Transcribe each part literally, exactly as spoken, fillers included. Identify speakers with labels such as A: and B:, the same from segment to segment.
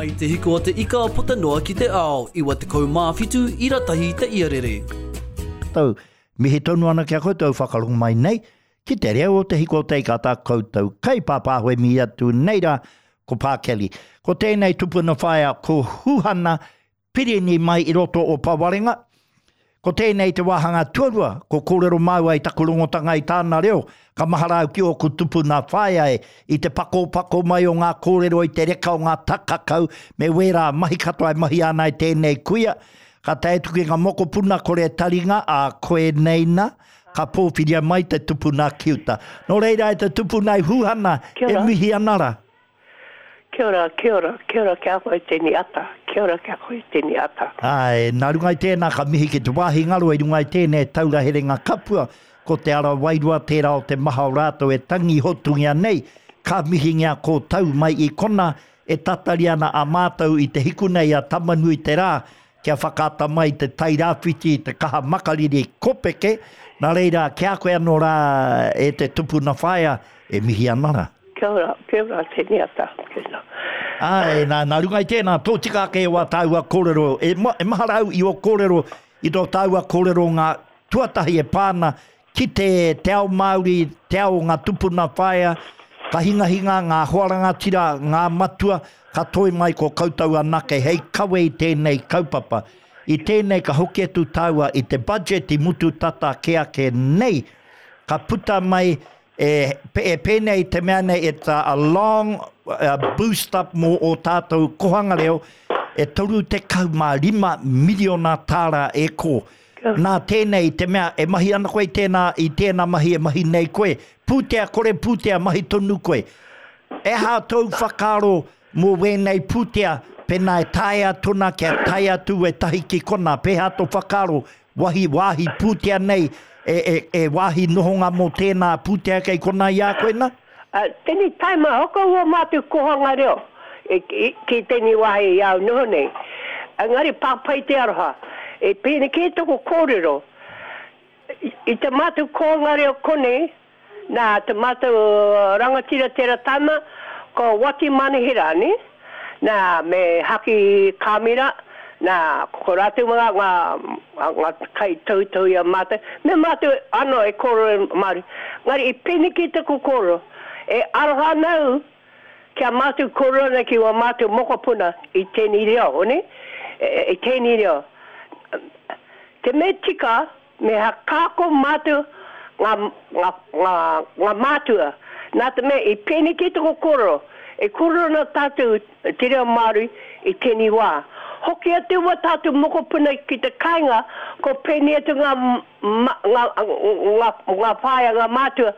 A: Mai te hiko o te ika puta noa ki te ao, iwa tekau mā whitu ira tahi te iarere.
B: Tau, mihi tonu ana ki a koutou whakarongo mai nei, ki te reo o te hiko o te ika tā koutou kai pāpāhoe mihi atu nei rā, ko Pā Kelly. Ko tēnei tupuna whaea ko Huhana Pirini mai i roto o Pawarenga. Ko tēnei te wāhanga tuarua, ko kōrero māua i taku rongotanga i tāna reo, ka mahara au ki ōku tupuna whaea e, i te pakopako mai o ngā kōrero i te reka o ngā takakau, me wērā mahi katoa e mahi ana e tēnei kuia. Ka tae atu ki ngā mokopuna kore taringa, a koe nei na, ka pōwhiria mai te tupuna ki uta. Nō reira e te tupuna i Huhana,
C: Kia
B: e
C: ora.
B: mihi ana rā.
C: Kia ora, kia ora, kia ora ki a koe tēnei ata, kia ora ki a koe tēnei ata.
B: Āe, nā runga i tēnā ka mihi ki te wāhi ngaro i runga i tēnei taura herenga kapua, ko te ara wairua tērā o te maha o rātou e tangi hotungia nei, ka mihingia ko tau mai i kona e tatari ana a mātou i te hiku nei a Tamanui te rā, kia whakaata mai te Tairāwhiti i te kaha makariri kopeke, nā reira ki a koe anō rā e te tupuna whaea e mihi ana rā.
C: Kia ora, kia ora tēnei ata. Kia ora.
B: Āe, nā, nā runga i tēnā, tō tika ake o a tāua kōrero, e, ma, e mahara au i o kōrero, i tō tāua kōrero ngā tuatahi e pāna ki te, te ao Māori, te ao ngā tupuna whaea, ka hingahinga ngā hoa rangatira, ngā matua, ka toi mai ko koutou anake hei kawe i tēnei kaupapa. I tēnei ka hoki atu tāua i te budget i mutu tata ke ake nei, ka puta mai e, e pēnei te mea nei, it's a, a long uh, boost up mō o tātou kohanga reo, e toru tekau mā rima miliona tāra e ko. Nā tēnei te mea, e mahi ana koe i tēnā, i tēnā mahi e mahi nei koe, pūtea kore pūtea mahi tonu koe. E hā tōu whakaaro mō wēnei pūtea, pēnā e taea tona kia tae atu e tahi ki kona, pēhā tō whakaaro, wahi wāhi pūtea nei, e, e, e wāhi nohonga mō tēnā pūtea kei kona i a koe nā?
C: Uh, tēnei taima, hoko ua mātou kohanga reo, e, e, ki tēnei wāhi i au noho nei. Engari pāpai te aroha, e pēne kē toko kōrero. I, i te mātou kohanga reo konei, nā te mātou rangatira tera tama, ko Wati Manihera, ne? Nā, me Haki Kāmira, nā, ko rātou ngā, ngā, ngā kai tautou i a mātou, me mātou anō e kōrero Māori. Ngari, i pēne kē taku kōrero, e aroha nau kia mātou kōrero ana ki wā mātou mokopuna i tēnei reo, ne? E, e, i tēnei reo. Te me tika, me hakako mātou ngā, ngā, ngā, ngā mātua. Nā te mea, i pēne kē taku kōrero, e kōrero ana tātou te reo Māori i tēnei wā. Hoki atu wā tātou mokopuna ki te kāinga, ko pēne atu ngā, ma, ngā, ngā, ngā whaea, ngā mātua.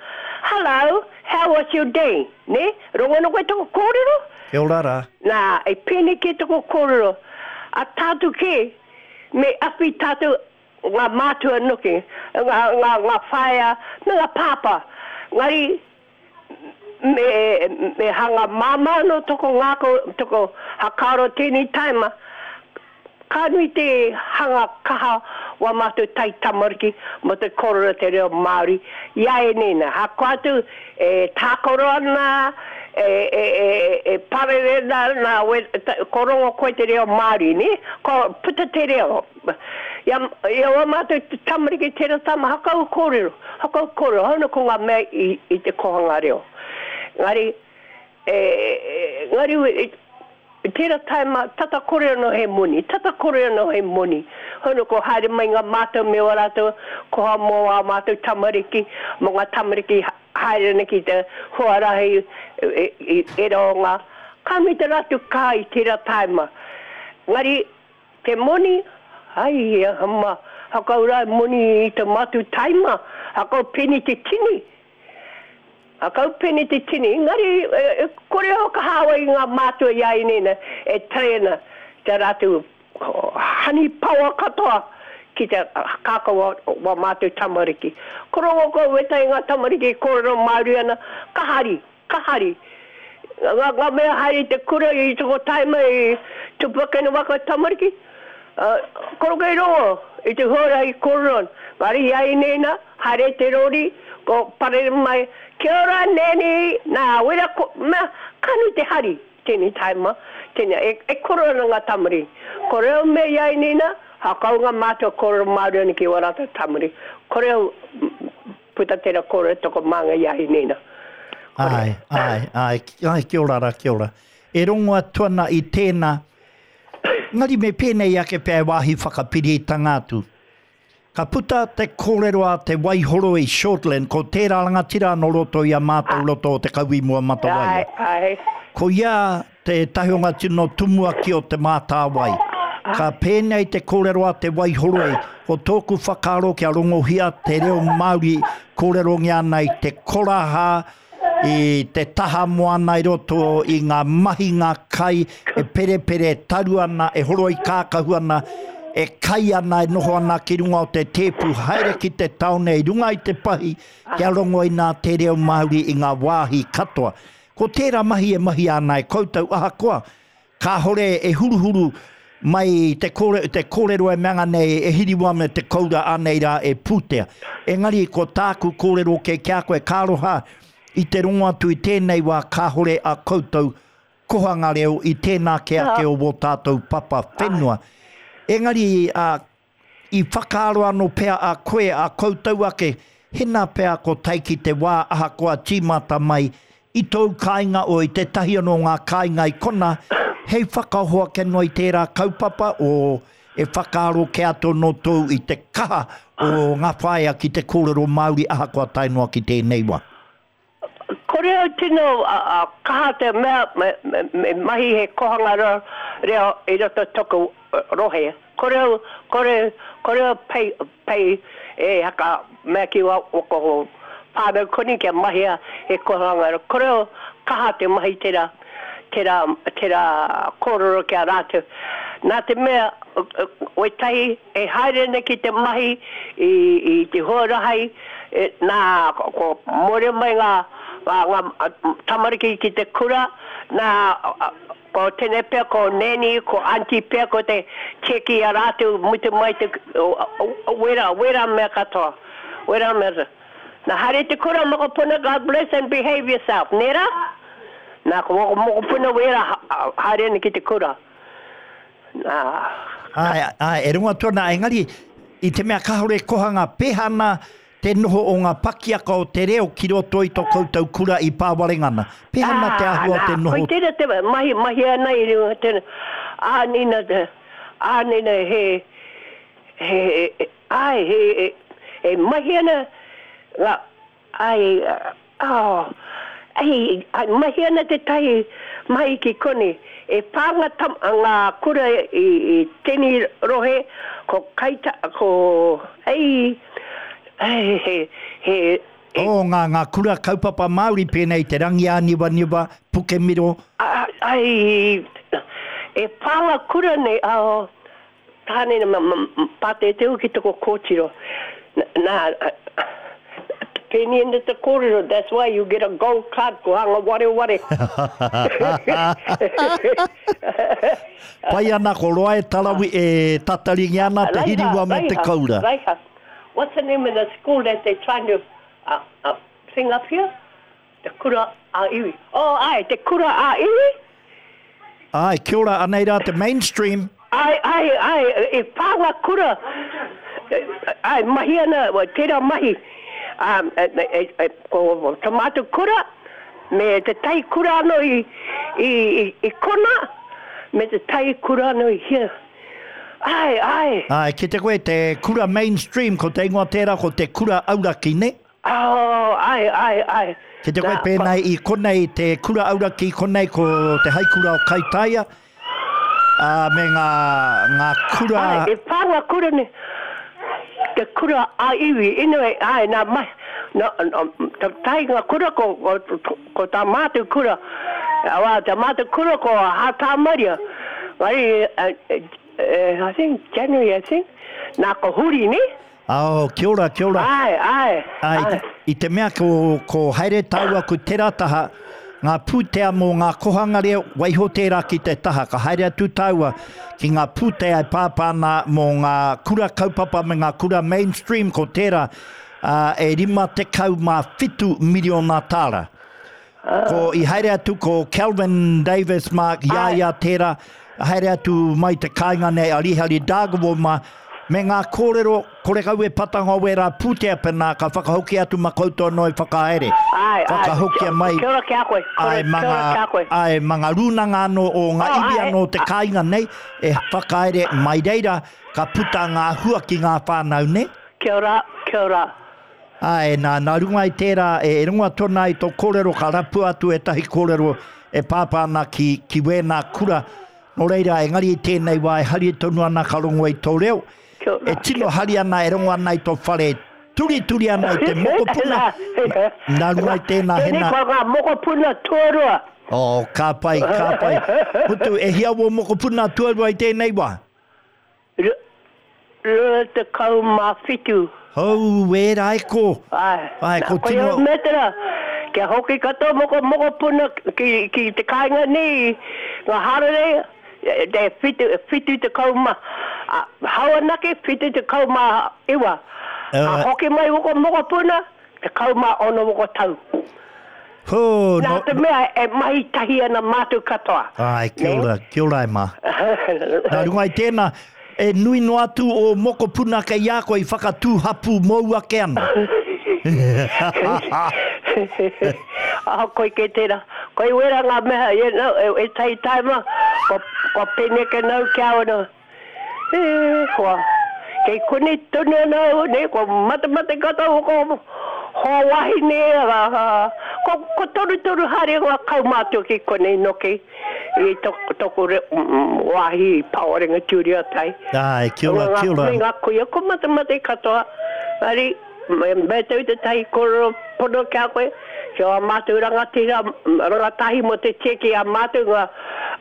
C: Hello, how was your day? Ne? Rongo ana koe taku kōrero?
B: Kia ora rā.
C: Nā, e pēne kē taku kōrero. A tātou kē, me awhi tātou ngā mātua noki, ngā, ngā, ngā whaea, me ngā pāpā. Ngari, me, me hanga māmā no toko ngāko, toko hakaro tēnei taima, ka nui te hanga kaha wa mātou tai tamariki mo te kōrero te reo Māori. Ia e nena, hako atu e tākoro ana, e, e, e, e parere na, na we, ta, korongo koe te reo Māori, ne? Ko puta te reo. Ia, ia wa mātou te tamariki tērā tama, hakau kōrero, hakau kōrero, hauna ko ngā mea i, i te kohanga reo. Ngari, e, e, ngari, e, tērā taima, tata kore anō he moni, tata kore anō he moni. Hono ko haere mai ngā mātou me wā rātou, koha mō ā mātou tamariki, mō ngā tamariki haere ana ki te huarahi, e, e, e, e rō ngā. Ka nui te rātou kā i tērā taima. Ngari, te moni, ai, hama, hakau rā moni i te mātou taima, hakau peni te tini. Hakau peni te tini, engari, e, e, kore ho ka hawa i ngā mātua i a inena, e trena te rātou hani pawa katoa ki te kākau wa, wa mātou tamariki. Korongo ko weta i ngā tamariki kōrero Māori ana, ka hari, ka hari. Ngā, ngā mea haere i te kura i toko taima i tupakena waka tamariki, uh, koroke i rongo i te huarahi kōrero ana. Ngari i a inena, haere te rori, ko parere mai, kia ora neni, nā, wera ko, mea, ka nui te hari, tēnei taima, tēnei, e, e koro ana ngā tamari. Kore au me iai nina, hakau ngā mātua kōrero Māori ana ki wā rātou tamari. Kore au puta tērā kōrero toko mānga iai nina.
B: Ai, ai, ai, ai, kia ora rā, kia ora. E rongo atu ana i tēnā, ngari me pēnei ake pea e wāhi whakapiritanga atu. Ka puta te kōrero a te Waihoroi Shortland, ko tērā rangatira no roto i a mātou roto o te Kauimua Matawaia.
C: Ai, ai.
B: Ko ia te tahionga tino tumuaki o te Mātāwai. Ka pēnei te kōrero a te Waihoroi, ko tōku whakaaro kia rongohia te reo Māori kōrerongia ana i te koraha, i te taha moana i roto i ngā mahinga kai e perepere taru ana, e horoi kākahu ana, e kai ana, e noho ana ki runga o te tēpu, haere ki te taone i runga i te pahi, kia rongo i nā te reo Māori i ngā wāhi katoa. Ko tērā mahi e mahi ana e koutou ahakoa, kāhore e huruhuru mai te kōrero, te kōrero e manga nei e hiriwa me te koura anei rā e pūtea. Engari ko tāku kōrero ke kia koe kāroha i te rongo atu i tēnei wā kāhore a koutou kohanga reo i tēnā ke ake o wō tātou papa whenua. Engari uh, i whakaaro anō pea a koe a koutou ake, hena pea ko taiki te wā ahakoa tīmata mai i tōu kāinga o i te tahi anō ngā kāinga i kona, hei whakahoa ke noa i tērā kaupapa o e whakaaro ke ato no tōu i te kaha o ngā whaea ki te kōrero Māori ahakoa tae noa ki tēnei wā.
C: Kore au tino a, a, kaha te mea me, me, me mahi he kohanga reo, reo i roto toku rohe. Kore au, kore, kore au pei, pei e haka mea ki wa wako whānau koni kia mahia he kohanga reo. Kore au kaha te mahi tērā, tērā, tērā kōrero kia rātou. Nā te mea, wetahi e haere nei ki te mahi i, i te huarahai, e, nā, ko, ko more mai ngā, ngā, ngā tamariki ki te kura, nā, ko tēnei pea, ko neni, ko auntie pea, ko te cheki a rātou, mutu mai te, o, o, o, wera, wera mea katoa, wera mea. Nā, haere te kura, mokopuna, God bless and behave yourself, nera? Nā, ko mokopuna wera, haere nei ki te kura. Nā.
B: Ai, ai, e rongo atu ana, engari, i te mea kāore kohanga pehana te noho o ngā pakiaka o te reo ki roto i tō koutou kura i Pāwarengana. Pehana te āhua o te noho?
C: Koi tērā te mahi, mahi ana i runga tēnā. Ā, nina, ā, nina, he, he, ai, he, he, he mahi ana, ngā, ai, oh, ai, ai, mahi ana te tahi mahi ki koni. E pā ngā, tam, ngā kura i, i tēnei rohe, ko kaita, ko, ei, ei, he, he,
B: he, oh, ngā, ngā kura kaupapa Māori pēnei te Rangiāniwaniwa, Pukemiro.
C: Ai, e pā ngā kura nei, oh, tāne ma, ma, pāte te uki toko kōtiro. Nā, pēni ina te kōrero, that's why you get a gold card, ko hanga ware ware.
B: Pai ana ko roa e tarawi e tataringi ana te hiriwa me te koura.
C: Raiha. What's the name of the school that they're trying to uh, uh, thing up here? Te Kura a Iwi. Oh, ai, te Kura a Iwi?
B: Ai, kia ora, anei rā te mainstream.
C: Ai, ai, ai, e pā ngā kura. Ai, mahi ana, tērā mahi. Um, e, e, e, ko ta mātou kura, me te tai kura anō i, i, i, i kona, me te tai kura anō i hia. Ai, ai.
B: Ai, ki te koe, te kura mainstream, ko te ingoa tērā, ko te kura auraki, ne?
C: Oh, ai, ai, ai.
B: Ki te koe pēnei i konei, te kura auraki konei, ko te haikura o Kaitaia, uh, me ngā, ngā kura...
C: Ai, e pā ngā kura ne, te kura a iwi, anyway, ai, nā mai, nā, nā, tā tai ngā kura ko, ko, ko tā mātou kura, awa, tā mātou kura ko Hātā Maria, Ngari, uh, I think, January, I think, nā ko huri, ne?
B: Oh, kia ora, kia ora.
C: Ai, ai,
B: ai.
C: Ai.
B: I te mea ko, ko haere tāua ko tērā taha, ngā pūtea mō ngā kohanga reo, waiho tērā ki te taha. Ka haere atu tāua ki ngā pūtea e pāpāna mō ngā kura kaupapa me ngā kura mainstream, ko tērā uh, e rima tekau mā whitu miriona tāra. Ko i haere atu ko Calvin Davis mā, i a ia tērā, haere atu mai te kāinga nei a Rihari Dargaville mā, me ngā kōrero, kore kau e patanga o wērā pūtea pēnā, ka whakahoki atu ma koutou anō i whakahaere.
C: Ai, ai.
B: Whakahokia mai.
C: Kia ora ki a koe.
B: Ai,
C: Kia ora ki a koe.
B: Ai, ma ngā rūnanga anō o ngā
C: Oh,
B: iwi
C: ai,
B: anō te kāinga nei, e whakahaere mai reira, ka puta ngā hua ki ngā whānau nei.
C: Kia ora, kia ora.
B: Ai, nā, nā runga i tērā, e, e runga tōna i tō kōrero, ka rapu atu e tahi kōrero e pāpā ana ki, ki wēnā kura. Nō reira, engari i tēnei wā, e hari tonu ana ka rongo i tō reo.
C: Kia ora.
B: E tino hari ana, e rongo ana i tō whare, turituri ana i te mokopuna. Nā runga i tēnā
C: Tēnei
B: hena.
C: ko ngā mokopuna tuarua.
B: Oh, ka pai, ka pai. Mutu, e hia wō mokopuna tuarua i tēnei wā?
C: Rua tekau mā whitu.
B: Hau, e rai ko.
C: Ai,
B: Ai, ko
C: koe
B: tino-
C: au metera, kia hoki katoa moko mokopuna ki, ki te kāinga nei, ngā harere, e, te whitu, whitu tekau mā, a, hau anake, whitu tekau mā iwa.
B: Eh.
C: A hoki mai woko mokopuna, tekau mā ono woko tau.
B: Ho,
C: Nā
B: no,
C: te mea e mahi tahi ana mātou katoa.
B: Ai, kia
C: Ne?
B: ora, kia ora e mā. Nā runga i tēnā, e nui noa atu o mokopuna kei a koe i whakatū hapu mou ake ana.
C: Ah, koe ke tērā. Koe wera ngā mea, you know, e, e tai taima, ko, ko peneke nau kia ono. E, kua, kei kuni tonu ana au, ne, ko matamate katoa ko hoa wahine, a, a, ko, ko toru toru haere ngā kaumātua ki konei noki, i toko, toko re, mm, wāhi i Pawarenga Tūria tai.
B: Ai, kia ora, kia ora.
C: Me ngā kuia, ko matamate katoa. Ari, me, me tau te tahi kōrero pono kia koe, kia wā mātou rangatira, rangatahi mo te tieki a mātou ngā,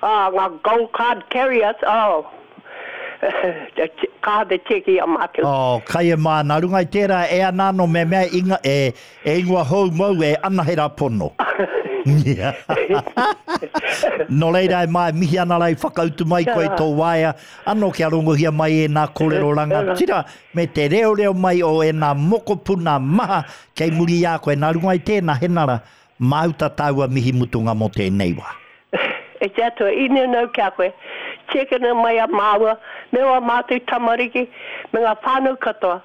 C: ah, ngā gold card carriers, oh, ka te tieki a mātou.
B: Oh, kai e mā, nā runga i tērā e ana anō me mea inga, e, e ingoa hou mou e anahera pono. Nō reira e mai, mihi ana rai whakautu mai koe tō waea, anō kia rongohia mai e nā kōrero rangatira, me te reo reo mai o e nā mokopuna maha kei muri i a koe. Nā runga i tēnā henara, māuta tāua mihi mutunga mō tēnei wā.
C: E te atua, ine nau kia koe, tiekana mai a māua, me wā mātou tamariki, me ngā whānau katoa,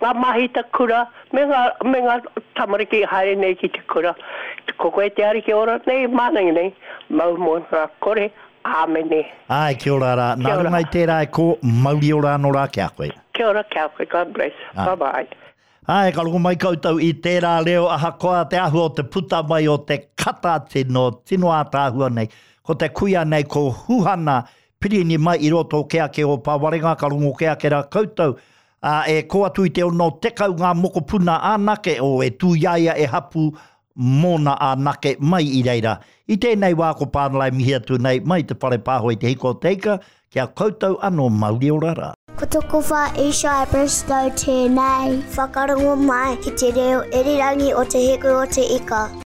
C: ngā mahita kura, me ngā, me ngā tamariki haere nei ki te kura. Ko koe te ariki ora nei, mānangi nei, mau mō ngā kore, āmene.
B: Ai, kia ora rā. Nā
C: Kia ora.
B: runga i tērā e ko, mauri ora anō rā kia koe.
C: Kia ora kia koe, God bless.
B: Ai.
C: Bye bye.
B: Ai, ka rongo mai koutou i tērā reo ahakoa te āhua o te puta mai o te kata tino, tino ātaahua nei. Ko te kuia nei ko Huhana Pirini mai i roto o ke ake o Pāwarenga, ka rongo ke ake rā koutou. A, e ko atu i te ono tekau ngā mokopuna anake o e tūiaia e hapu mōna anake mai i reira. I tēnei wā ko Pānalai mihi atu nei mai te whare pāho i te hiko o te ika, kia koutou anō mauri ora rā.
D: Ko toko wha Isha Bristow tēnei. Whakarongo mai ki te reo irirangi o te hiku o te ika.